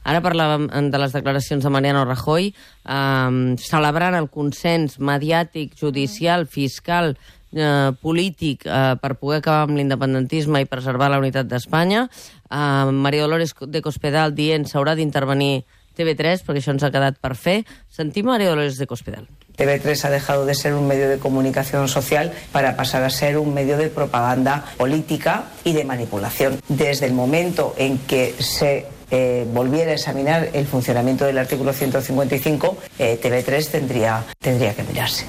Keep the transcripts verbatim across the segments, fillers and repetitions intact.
Ara parlàvem de les declaracions de Mariano Rajoy, eh, celebrant el consens mediàtic, judicial, fiscal, eh, polític, eh, per poder acabar amb l'independentisme i preservar la unitat d'Espanya. Eh, María Dolores de Cospedal dient s'haurà d'intervenir T V tres, perquè això ens ha quedat per fer. Sentim María Dolores de Cospedal. T V tres ha dejado de ser un medio de comunicación social para pasar a ser un medio de propaganda política y de manipulación. Desde el momento en que se eh, volviera a examinar el funcionamiento del artículo ciento cincuenta y cinco, eh, T V tres tendría, tendría que mirarse.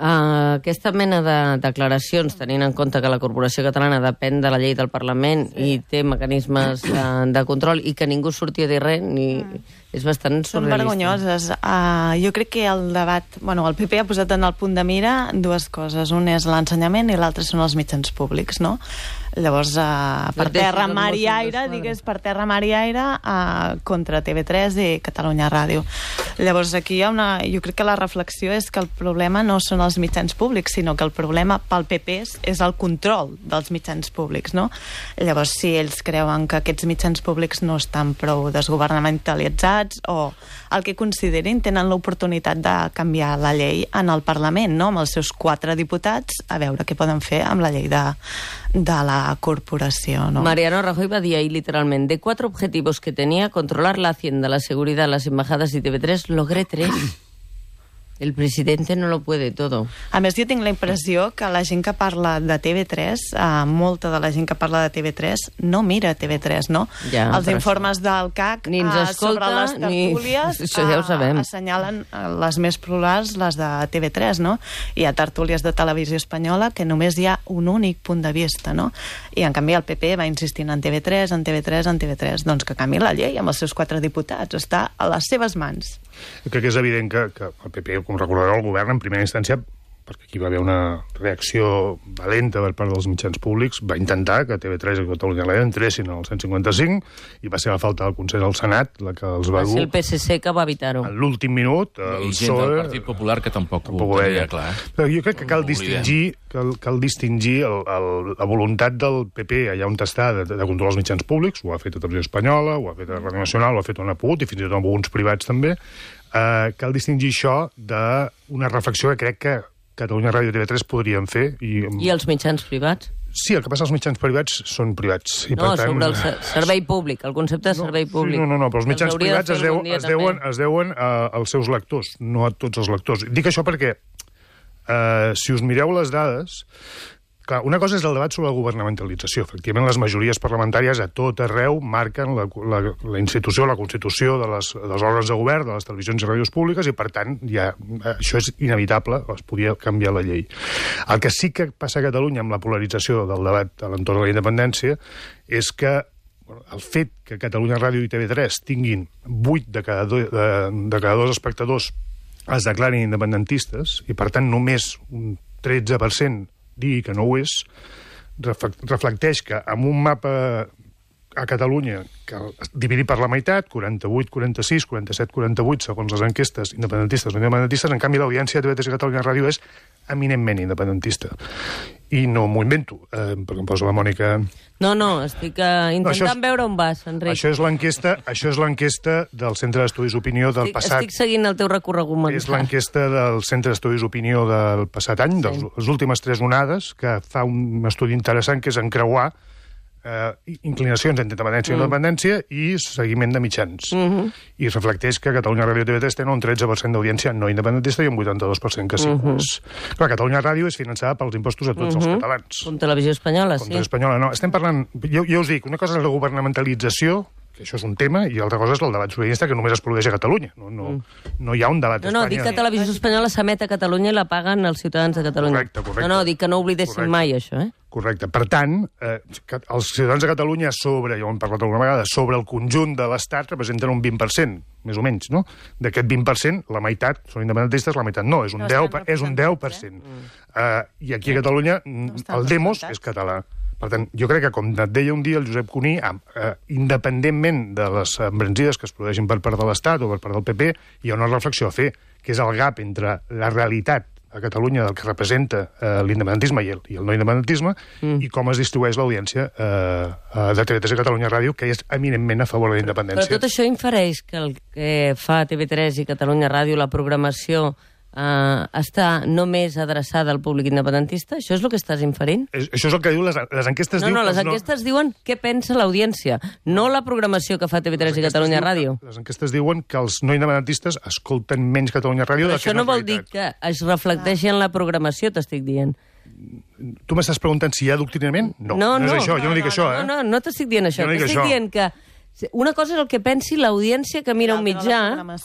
Uh, aquesta mena de declaracions, tenint en compte que la Corporació Catalana depèn de la llei del Parlament sí. i té mecanismes uh, de control i que ningú surti a dir res, ni... mm. és bastant surrealista. Són vergonyoses. Uh, jo crec que el debat... Bueno, el P P ha posat en el punt de mira dues coses. Un és l'ensenyament i l'altre són els mitjans públics, no? Llavors, uh, per terra, mar i aire, digues, per terra, mar i aire, uh, contra T V tres i Catalunya Ràdio. Llavors, aquí hi ha una... Jo crec que la reflexió és que el problema no són els mitjans públics, sinó que el problema pel P P és, és el control dels mitjans públics, no? Llavors, si ells creuen que aquests mitjans públics no estan prou desgovernamentalitzats o el que considerin, tenen l'oportunitat de canviar la llei en el Parlament, no? Amb els seus quatre diputats, a veure què poden fer amb la llei de, de la corporació, no? Mariano Rajoy va dir ahí literalment: de cuatro objetivos que tenía, controlar la hacienda, la seguridad, las embajadas y T V tres, logré tres. El presidente no lo puede todo. A més, jo tinc la impressió que la gent que parla de T V tres, eh, molta de la gent que parla de T V tres, no mira T V tres, no? Ja, els informes això... del C A C ni ens escolta, sobre les tertúlies ni... Això ja ho sabem. Eh, assenyalen les més plurals, les de T V tres, no? Hi ha tertúlies de Televisió Espanyola que només hi ha un únic punt de vista, no? I en canvi el P P va insistint en T V tres, en T V tres, en T V tres. Doncs que canvi la llei amb els seus quatre diputats. Està a les seves mans. Jo crec que és evident que, que el P P, com recordareu, el govern en primera instància, perquè aquí va haver una reacció valenta per part dels mitjans públics, va intentar que T V tres i Catalunya Ràdio entressin al cent cinquanta cinc i va ser la falta del Consell al Senat la que els va, va dur... Va ser el P S C que va evitar-ho. En l'últim minut... El I gent del Partit Popular que tampoc, tampoc ho veia clar. Eh? Però jo crec que cal distingir, cal, cal distingir el, el, la voluntat del P P allà on està de, de controlar els mitjans públics, ho ha fet a Televisió Espanyola, ho ha fet a Ràdio Nacional, ho ha fet on ha pogut, i fins i tot amb alguns privats també. Uh, cal distingir això d'una reflexió que crec que Catalunya Ràdio i T V tres podrien fer. I, I els mitjans privats? Sí, el que passa als mitjans privats són privats. I no, per tant... sobre el servei públic, el concepte de servei no, públic. Sí, no, no, no, però els mitjans privats es, deu, es deuen, es deuen uh, als seus lectors, no a tots els lectors. Dic això perquè, uh, si us mireu les dades... Clar, una cosa és el debat sobre la governamentalització. Efectivament, les majories parlamentàries a tot arreu marquen la, la, la institució, la constitució de les, dels òrgans de govern, de les televisions i ràdios públiques, i, per tant, ja, això és inevitable, es podia canviar la llei. El que sí que passa a Catalunya amb la polarització del debat a l'entorn de la independència és que bueno, el fet que Catalunya Ràdio i T V tres tinguin vuit de cada, do, de, de cada dos espectadors es declarin independentistes, i, per tant, només un tretze per cent digui que no ho és, reflecteix que amb un mapa a Catalunya que dividit per la meitat, quaranta-vuit quaranta-sis, quaranta-set quaranta-vuit, segons les enquestes independentistes o independentistes, en canvi l'audiència de T V tres i Catalunya Ràdio és eminentment independentista. I no m'ho invento, eh, perquè em poso la Mònica... No, no, estic uh, intentant no, és, veure on vas, Enric. Això és l'enquesta això és l'enquesta del Centre d'Estudis Opinió del estic, passat... Estic seguint el teu recorregut mental. És l'enquesta del Centre d'Estudis Opinió del passat any, sí. de les últimes tres onades, que fa un estudi interessant que és encreuar eh, inclinacions entre independència mm. i independència i seguiment de mitjans. Mm -hmm. I reflecteix que Catalunya Ràdio i T V tres tenen un tretze per cent d'audiència no independentista i un vuitanta-dos per cent que sí. Mm -hmm. Clar, Catalunya Ràdio és finançada pels impostos a tots mm -hmm. els catalans. Com Televisió Espanyola, Com sí. Televisió Espanyola, no. Estem parlant... Jo, jo us dic, una cosa és la governamentalització, que això és un tema, i l'altra cosa és el debat sobiranista que només es produeix a Catalunya. No, no, mm. no hi ha un debat a Espanya. No, no, dic que Televisió Espanyola s'emet a Catalunya i la paguen els ciutadans de Catalunya. Correcte, correcte. No, no, dic que no oblidessin correcte. mai això, eh? Correcte. Per tant, eh, els ciutadans de Catalunya sobre, ja ho hem parlat alguna vegada, sobre el conjunt de l'Estat representen un vint per cent, més o menys, no? D'aquest vint per cent, la meitat són independentistes, la meitat no, és un, no deu, és un deu per cent. Eh? Uh, I aquí a Catalunya no el demos és català. Per tant, jo crec que, com et deia un dia el Josep Cuní, eh, independentment de les embranzides que es produeixin per part de l'Estat o per part del P P, hi ha una reflexió a fer, que és el gap entre la realitat a Catalunya del que representa eh, l'independentisme i el, i el no independentisme, mm. i com es distribueix l'audiència eh, de T V tres i Catalunya Ràdio, que és eminentment a favor de la independència. Però tot això infereix que el que fa T V tres i Catalunya Ràdio, la programació, Uh, està només adreçada al públic independentista? Això és el que estàs inferint? És, això és el que diu les, les enquestes. No, diu no, les no... enquestes diuen què pensa l'audiència, no la programació que fa T V tres i Catalunya diu, Ràdio. Les enquestes diuen que els no independentistes escolten menys Catalunya Ràdio. Però això no vol dir que es reflecteixi en la programació, t'estic dient. Tu m'estàs preguntant si hi ha adoctrinament? No, no, no, no és això, jo no, no dic no, això, eh? No, no, no t'estic dient això, no t'estic això. dient que una cosa és el que pensi l'audiència que mira un mitjà,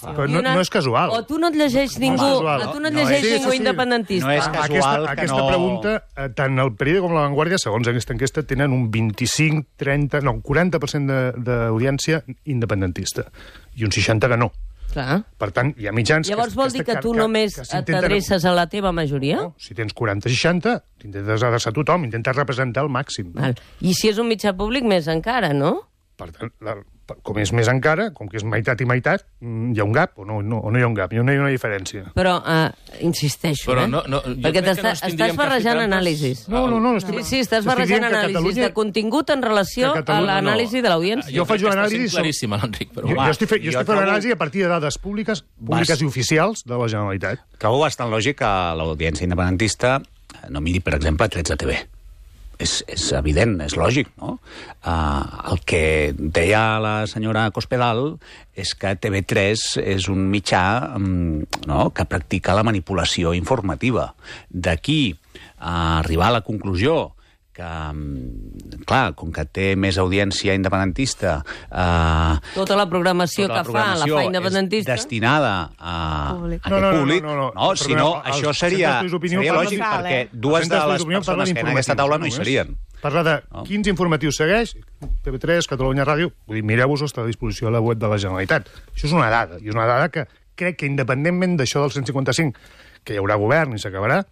però no, no és casual. O tu no et llegeix ningú, no o tu no et llegeix no, ningú sí, independentista. No és casual aquesta, que aquesta no... pregunta, eh, tant el Periódico com la Vanguardia, segons aquesta enquesta, tenen un vint-i-cinc, trenta, no, un quaranta per cent d'audiència independentista, i un seixanta que no. Clar. Per tant, hi ha mitjans... Llavors que, vol dir que, que tu que, només que t'adreces a la teva majoria? No, si tens quaranta seixanta, t'intentes adreçar a tothom, intentes representar el màxim. No? Val. I si és un mitjà públic, més encara, no? Per tant, la, com és més encara, com que és meitat i meitat, hi ha un gap o no, no, o no hi ha un gap, hi ha una, hi ha una diferència. Però, uh, insisteixo, Però eh? no, no, perquè no estàs barrejant anàlisis. No, no, no. Sí, sí, estàs barrejant anàlisis Catalunya... de contingut en relació a l'anàlisi de l'audiència. Jo, jo faig una anàlisi... claríssima, l'Enric, però... Jo, jo estic, fe, jo estic fent una anàlisi a partir de dades públiques, públiques Vas... i oficials de la Generalitat. Trobo bastant lògic que l'audiència independentista no miri, per exemple, tretze T V. És, és evident, és lògic, no? Uh, el que deia la senyora Cospedal és que T V tres és un mitjà um, no? que practica la manipulació informativa. D'aquí a arribar a la conclusió que, clar, com que té més audiència independentista... Eh, tota la programació tota la que programació fa la fa independentista... és destinada a, públic. a no, no, no, públic. no, no, no. no si no, els això seria, seria lògic, vale. perquè dues de les persones que en aquesta taula no hi serien. Parla de no. quins informatius segueix, T V tres, Catalunya Ràdio... Vull dir, mireu-vos, està a disposició a la web de la Generalitat. Això és una dada, i és una dada que crec que, independentment d'això del cent cinquanta cinc, que hi haurà govern i s'acabarà,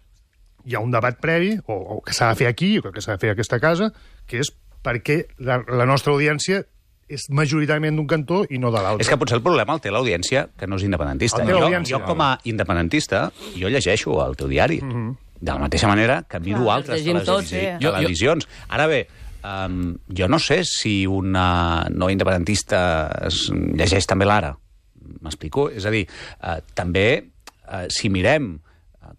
hi ha un debat previ, o, o que s'ha de fer aquí, o que s'ha de fer a aquesta casa, que és perquè la, la nostra audiència és majoritàriament d'un cantó i no de l'altre. És que potser el problema el té l'audiència, que no és independentista. Jo, jo, com a independentista, jo llegeixo el teu diari. Mm -hmm. De la mateixa manera que miro Clar, altres televisions. Sí. televisions. Ara bé, um, jo no sé si una no independentista es llegeix també l'Ara. M'explico? És a dir, uh, també, uh, si mirem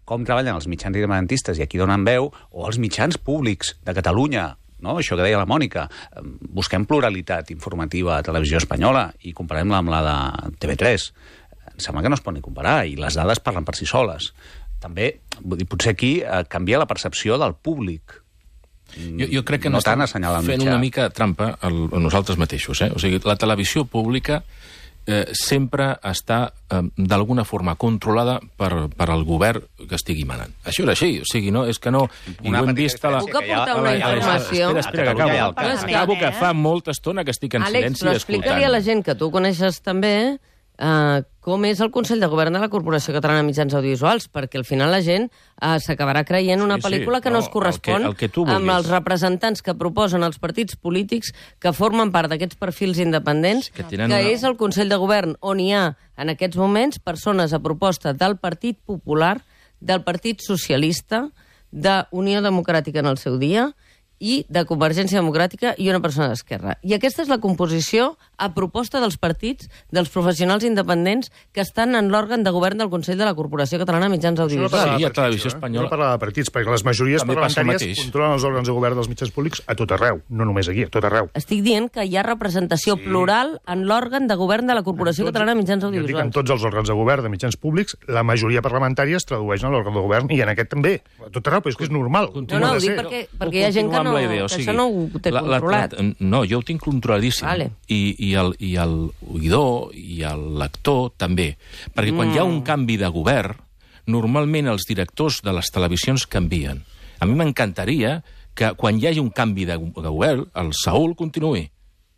com treballen els mitjans independentistes i aquí donen veu, o els mitjans públics de Catalunya, no? Això que deia la Mònica, busquem pluralitat informativa a Televisió Espanyola i comparem-la amb la de T V tres. Em sembla que no es pot ni comparar, i les dades parlen per si soles. També, vull dir, potser aquí eh, canvia la percepció del públic. Jo, jo crec que no estem fent mitjà. Una mica trampa a nosaltres mateixos. Eh? O sigui, la televisió pública eh, sempre està, eh, d'alguna forma, controlada per, per el govern que estigui manant. Això és així, o sigui, no, és que no... Una ho hem vist a la... Puc aportar una informació? Espera, espera, que acabo. Que, acabo, que fa molta estona que estic en Àlex, silenci però escoltant. explica-li a la gent que tu coneixes també uh, com és el Consell de Govern de la Corporació Catalana de Mitjans Audiovisuals, perquè al final la gent uh, s'acabarà creient una Sí, sí, pel·lícula que no, no es correspon el que- el que tu amb vulguis. els representants que proposen els partits polítics que formen part d'aquests perfils independents, Que que, tenen una- és el Consell de Govern on hi ha, en aquests moments, persones a proposta del Partit Popular, del Partit Socialista, d'Unió Democràtica en el seu dia, i de Convergència Democràtica i una persona d'Esquerra. I aquesta és la composició a proposta dels partits, dels professionals independents que estan en l'òrgan de govern del Consell de la Corporació Catalana de Mitjans Audiovisuals. Sí, a Televisió Espanyola. No parla de partits, perquè les majories També passa el parlamentàries mateix. controlen els òrgans de govern dels mitjans públics a tot arreu, no només aquí, a tot arreu. Estic dient que hi ha representació sí. plural en l'òrgan de govern de la Corporació En tots- Catalana de Mitjans jo dic, en Audiovisuals. tots els òrgans de govern de mitjans públics, la majoria parlamentària es tradueix en l'òrgan de govern, i en aquest també. A tot arreu, però és que és normal. No, no, ho dic perquè, perquè hi ha gent que, no, la idea, o que sigui, això no ho té la, la, controlat. La, no, jo ho tinc controladíssim. Vale. I, i, el, I el oïdor i el lector també. Perquè quan mm. hi ha un canvi de govern, normalment els directors de les televisions canvien. A mi m'encantaria que quan hi hagi un canvi de, de govern, el Saúl continuï,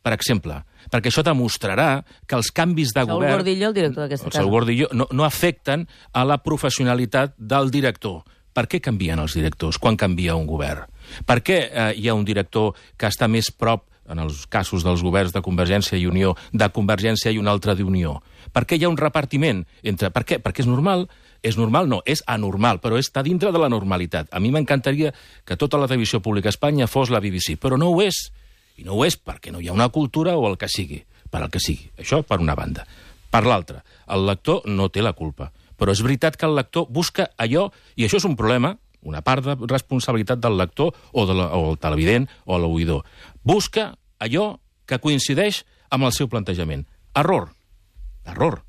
per exemple, perquè això demostrarà que els canvis de Saúl govern... Gordillo, el director d'aquesta el casa. Saúl Gordillo, no, no afecten a la professionalitat del director. Per què canvien els directors quan canvia un govern? Per què eh, hi ha un director que està més prop en els casos dels governs de Convergència i Unió, de Convergència i un altre d'Unió? Per què hi ha un repartiment? Entre... Per què? Perquè és normal? És normal? No, és anormal, però està dintre de la normalitat. A mi m'encantaria que tota la televisió pública a Espanya fos la B B C, però no ho és. I no ho és perquè no hi ha una cultura o el que sigui, per al que sigui. Això per una banda. Per l'altra, el lector no té la culpa. Però és veritat que el lector busca allò, i això és un problema, una part de responsabilitat del lector o, de la, o el televident o l'oïdor. Busca allò que coincideix amb el seu plantejament. Error. Error.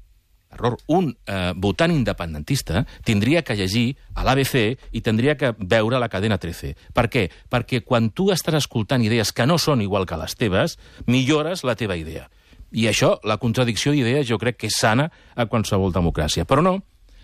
Error. Un eh, votant independentista tindria que llegir a l'A B C i tindria que veure la cadena trece. Per què? Perquè quan tu estàs escoltant idees que no són igual que les teves, millores la teva idea. I això, la contradicció d'idees, jo crec que és sana a qualsevol democràcia. Però no,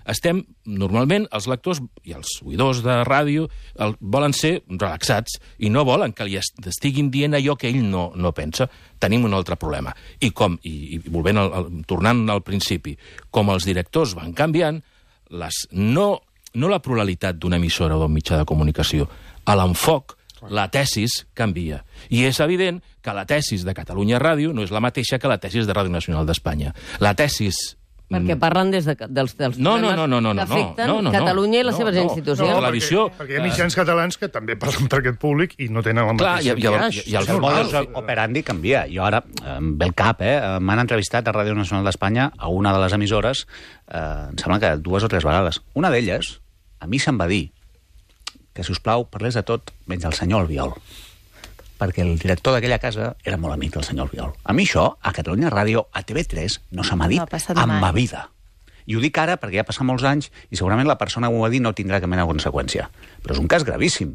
estem, normalment, els lectors i els oïdors de ràdio el, volen ser relaxats i no volen que li estiguin dient allò que ell no, no pensa. Tenim un altre problema. I com, i, i volvent al, al, tornant al principi, com els directors van canviant, les, no, no la pluralitat d'una emissora o d'un mitjà de comunicació, a l'enfoc, la tesis canvia. I és evident que la tesis de Catalunya Ràdio no és la mateixa que la tesis de Ràdio Nacional d'Espanya. La tesis... Perquè parlen des de, dels, dels no, no, no, no, no, que afecten no, no, no, Catalunya i les no, seves no, institucions. No, televisió... Perquè, perquè hi ha mitjans catalans que també parlen per aquest públic i no tenen la mateixa... Clar, i, i, i, i el el modus operandi canvia. Jo ara, em ve el cap, eh? M'han entrevistat a Ràdio Nacional d'Espanya a una de les emissores, eh, em sembla que dues o tres vegades. Una d'elles, a mi se'm va dir que, si us plau, parlés de tot menys el senyor Albiol, perquè el director d'aquella casa era molt amic del senyor Albiol. A mi això, a Catalunya Ràdio, a T V tres, no se m'ha dit no en ma vida. I ho dic ara perquè ja ha passat molts anys i segurament la persona que ho va dir no tindrà cap mena de conseqüència. Però és un cas gravíssim.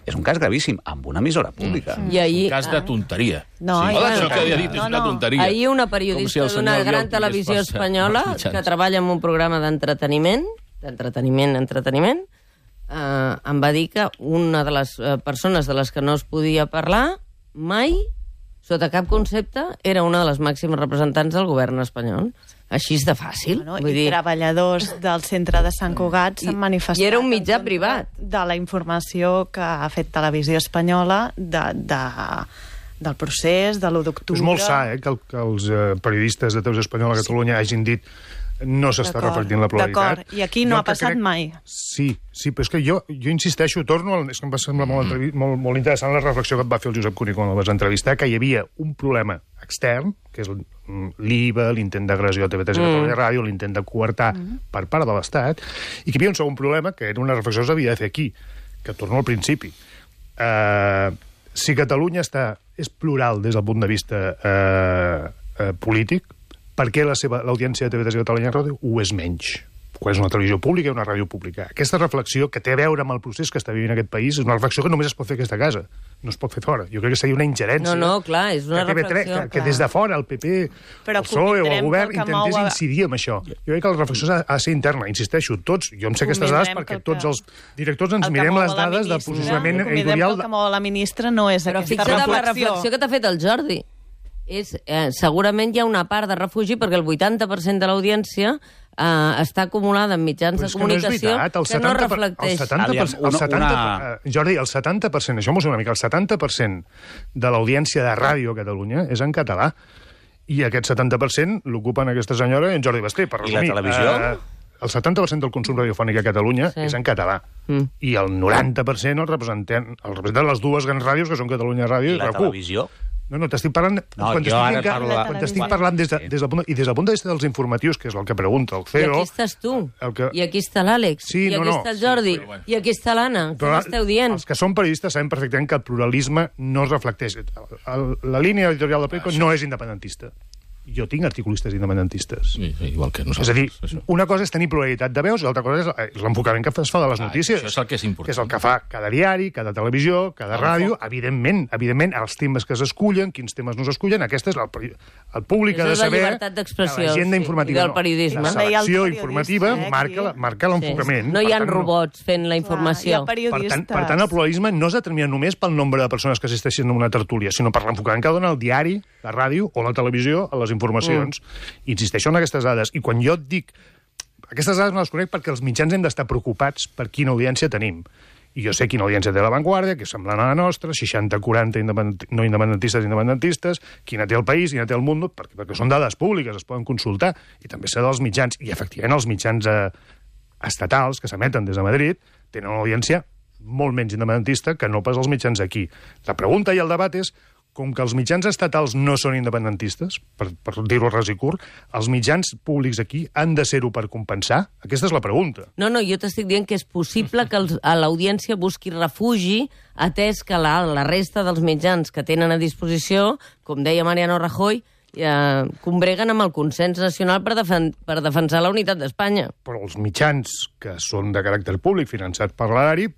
És un cas gravíssim, amb una emissora pública. Mm. I ahir... Un cas de tonteria. No, sí. bueno, Això que havia dit és no, una no. tonteria. Ahir una periodista si d'una gran televisió espanyola que treballa en un programa d'entreteniment, d'entreteniment, entreteniment, eh, em va dir que una de les eh, persones de les que no es podia parlar mai, sota cap concepte, era una de les màximes representants del govern espanyol. Així és de fàcil. Bueno, Vull I dir... treballadors del centre de Sant Cugat s'han manifestat... I era un mitjà privat. De la informació que ha fet Televisió Espanyola de, de, del procés, de l'u d'octubre... És molt sa, eh, que, el, que els eh, periodistes de Televisió Espanyola a Catalunya sí. hagin dit no s'està reflectint la pluralitat. D'acord, i aquí no jo ha passat crec... mai. Sí, sí, però és que jo, jo insisteixo, torno, al... és que em va semblar molt, entrevi... molt, molt interessant la reflexió que et va fer el Josep Cuní quan el vas entrevistar, que hi havia un problema extern, que és l'I V A, l'intent d'agressió a T V tres i mm. Catalunya Ràdio, l'intent de coartar mm. per part de l'Estat, i que hi havia un segon problema, que era una reflexió que s'havia de fer aquí, que torno al principi. Uh, si Catalunya està, és plural des del punt de vista uh, uh, polític, per què la seva l'audiència de T V tres i Catalunya Ràdio ho és menys? Quan és una televisió pública i una ràdio pública. Aquesta reflexió que té a veure amb el procés que està vivint aquest país és una reflexió que només es pot fer a aquesta casa. No es pot fer fora. Jo crec que seria una ingerència. No, no, clar, és una que reflexió. Que, que des de fora el P P, Però el P S O E o el govern que intentés mou... incidir en això. Jo crec que la reflexió ha de ser interna. Insisteixo, tots, jo em sé aquestes dades perquè que tots els directors ens mirem les dades del posicionament editorial... El que mou la ministra no és Però aquesta reflexió. Però reflexió. fixa't en la reflexió que t'ha fet el Jordi. És, eh, segurament hi ha una part de refugi perquè el vuitanta per cent de l'audiència eh, està acumulada en mitjans de comunicació no que no reflecteix. El setanta per cent, el setanta, una... Jordi, el setanta per cent, això m'ho sé una mica, el setanta per cent de l'audiència de ràdio a Catalunya és en català. I aquest setanta per cent l'ocupen aquesta senyora i en Jordi Basté, per resumir. I la televisió? Eh, el setanta per cent del consum radiofònic a Catalunya sí. és en català. Mm. I el noranta per cent el representen, el representen les dues grans ràdios, que són Catalunya Ràdio i, I la RAC u. televisió? No, no, t'estic parlant... No, quan jo ara parlo... parlo... Quan t'estic parlant des de, des del punt, i des del punt de vista dels informatius, que és el que pregunta el C E O... I aquí estàs tu, que... i aquí està l'Àlex, sí, i aquí no, no. està el Jordi, sí, bueno. i aquí està l'Anna. Què m'esteu dient? Els que són periodistes sabem perfectament que el pluralisme no es reflecteix. El, la línia editorial de Perico no és independentista. Jo tinc articulistes independentistes. Sí, igual que nosaltres. És a dir, això. una cosa és tenir pluralitat de veus i l'altra cosa és l'enfocament que es fa de les notícies. Ah, això és el que és important. Que és el que fa cada diari, cada televisió, cada no, ràdio. No. Evidentment, evidentment, els temes que s'escullen, quins temes no s'escullen, aquesta és el, el públic ha de saber... És la llibertat d'expressió, l'agenda sí, informativa. del periodisme. La selecció informativa eh, marca, la, marca l'enfocament. Sí. No hi ha tant, robots fent la informació. Clar, per, tant, per tant, el pluralisme no es determina només pel nombre de persones que assisteixen a una tertúlia, sinó per l'enfocament que dona el diari, la ràdio o la televisió a les informacions. Mm. Insisteixo en aquestes dades. I quan jo et dic... Aquestes dades no les conec perquè els mitjans hem d'estar preocupats per quina audiència tenim. i jo sé quina audiència té La Vanguardia, que és semblant a la nostra, seixanta quaranta independent... no independentistes independentistes, quina té el País, quina té el Mundo, perquè, perquè són dades públiques, es poden consultar, i també sé dels mitjans, i efectivament els mitjans eh, estatals que s'emeten des de Madrid tenen una audiència molt menys independentista que no pas els mitjans aquí. La pregunta i el debat és, com que els mitjans estatals no són independentistes, per, per dir-ho ras i curt, els mitjans públics aquí han de ser-ho per compensar? Aquesta és la pregunta. No, no, jo t'estic dient que és possible que els, a l'audiència busqui refugi, atès que la, la resta dels mitjans que tenen a disposició, com deia Mariano Rajoy, eh, combreguen amb el consens nacional per, defen per defensar la unitat d'Espanya. Però els mitjans que són de caràcter públic, finançats per l'erari,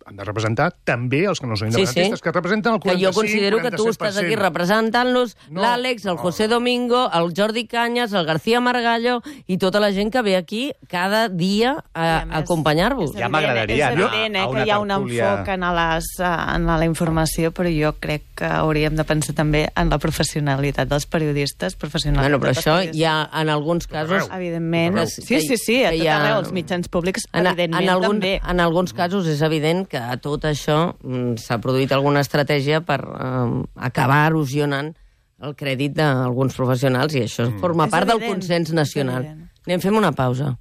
han de representar també els que no són independentistes, sí, sí. que representen el quaranta-cinc, que jo considero quaranta-set per cent. Que tu estàs aquí representant-los, no, l'Àlex, el José no. Domingo, el Jordi Cañas, el García Margallo i tota la gent que ve aquí cada dia a, a acompanyar-vos. Ja m'agradaria anar a una que hi ha un enfoc en, les, en la informació, però jo crec que hauríem de pensar també en la professionalitat dels periodistes, professionals. Bueno, però això hi ha en alguns casos... Evidentment. Sí, sí, sí, a tot arreu, els mitjans públics, evidentment, en algun, també. En alguns casos és evident que a tot això s'ha produït alguna estratègia per eh, acabar erosionant el crèdit d'alguns professionals i això forma és part evident, del consens nacional. Anem, fem una pausa.